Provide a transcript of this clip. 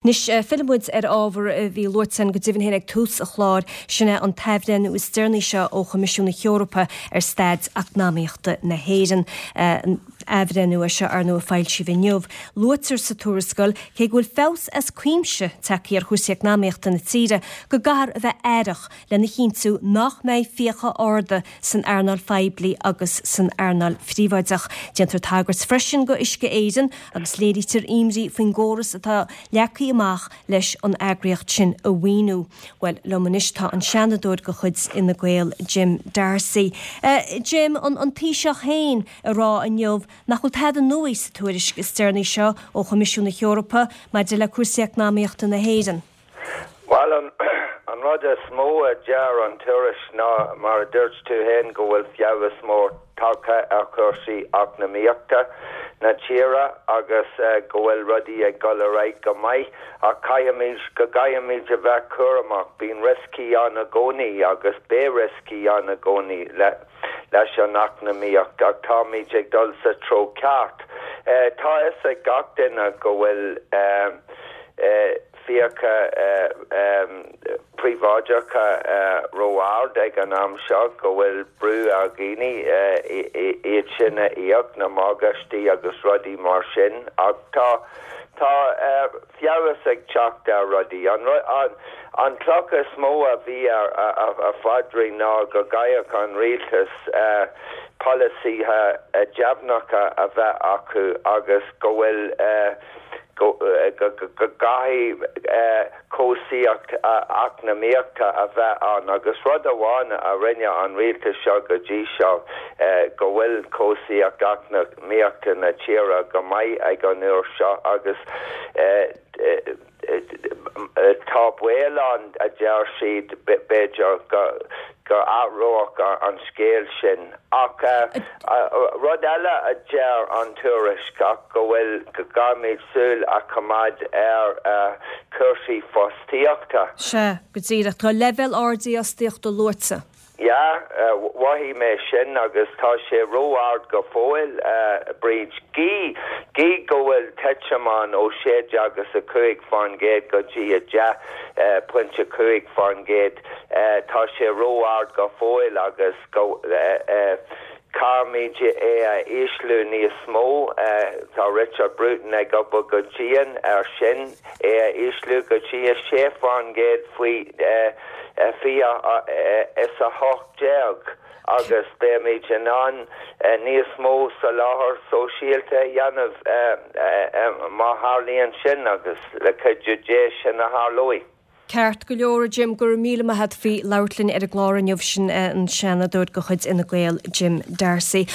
Anois, fillfidh muid ar ábhar a bhí luaite againn go deimhin féin ag tús an chláir, sin é an t-athbhreithniú is deireanaí seo ó Choimisiún na hEorpa ar staid eacnamaíochta na hÉireann. Athbhreithniú é seo, ar ndóigh, a foilsíodh inniu. Luaitear sa tuarascáil, cé go bhfuil feabhas as cuimse tagtha ar chúrsaí eacnamaíochta na tíre, go gcaithfear a bheith aireach lena chinntiú nach mbeidh fiacha arda san earnáil phoiblí agus san earnáil phríobháideach. Déantar tagairt freisin go Uisce Éireann agus léirítear imní faoin gcóras atá leagtha amach leis an eagraíocht sin a mhaoiniú. Bhuel, liom anois tá an Seanadóir de chuid Fhine Gael, Jim D'Arcy. Jim, an Taoiseach féin ag rá inniu nach bhfuil tada nua sa tuairisc is deireanaí seo ó Choimisiún na hEorpa maidir le cúrsaí eacnamaíochta na hÉireann. Bhuel, an rud is mó a deir an tuairisc ná, mar a dúirt tú féin, go bhfuil feabhas mór tagtha ar chúrsaí eacnamaíochta na tíre agus go bhfuil rudaí ag dul ar aghaidh go maith ach caithfimid, go gcaithfimid a bheith cúramach. Bíonn rioscaí ann i gcónaí agus beidh rioscaí ann i gcónaí leis an eacnamaíocht ach táimid ag dul sa treo ceart. Tá a fhios ag gach duine go bhfuil. fiacha príobháideacha ró-ard ag an am seo, go bhfuil brú ar dhaoine iad sin a íoc, na morgáistí agus rudaí mar sin. Ach tá, tá feabhas ag teacht ar rudaí. An chloch is mó a bhí ar a phaidrín ná go gcaithfeadh an rialtas polasaithe deimhneacha a bheith acu agus go bhfuil, go gcaithfidh cobhsaíocht eacnamaíochta a bheith ann agus rud amháin a rinne an rialtas seo go dtí seo go bhfuil cobhsaíocht eacnamaíochta na tíre go maith ag an uair seo agus tá baol ann a deir siad b'fhéidir go go athródh an scéal sin. Ach rud eile a deir an tuairisc ach go bhfuil, go gcaithfimid súil a choimeád ar chúrsaí fostaíochta. Sea, go díreach. Tá leibhéal ard dífhostaíochta luaite. Yeah, mhothaigh mé sin agus tá sé ró-ard go fóill, a Bríd. Gí, gí go bhfuil titim ann ó 16 agus 5% go dtí 10.5%, tá sé ró-ard go fóill agus go, caithfimid é a ísliú níos mó. Tá Richard Bruton ag obair go dian ar sin, é a ísliú go dtí 6% faoi 2018 agus beimid in ann níos mó soláthar sóisialta a dhéanamh má tharlaíonn sin agus le cuidiú Dé sin a tharlóidh. Ceart go leor, a Jim, go raibh míle maith a't faoi labhairt linn ar an gclár inniu. Sin an Seanadóir de chuid Fhine Gael, Jim D'Arcy.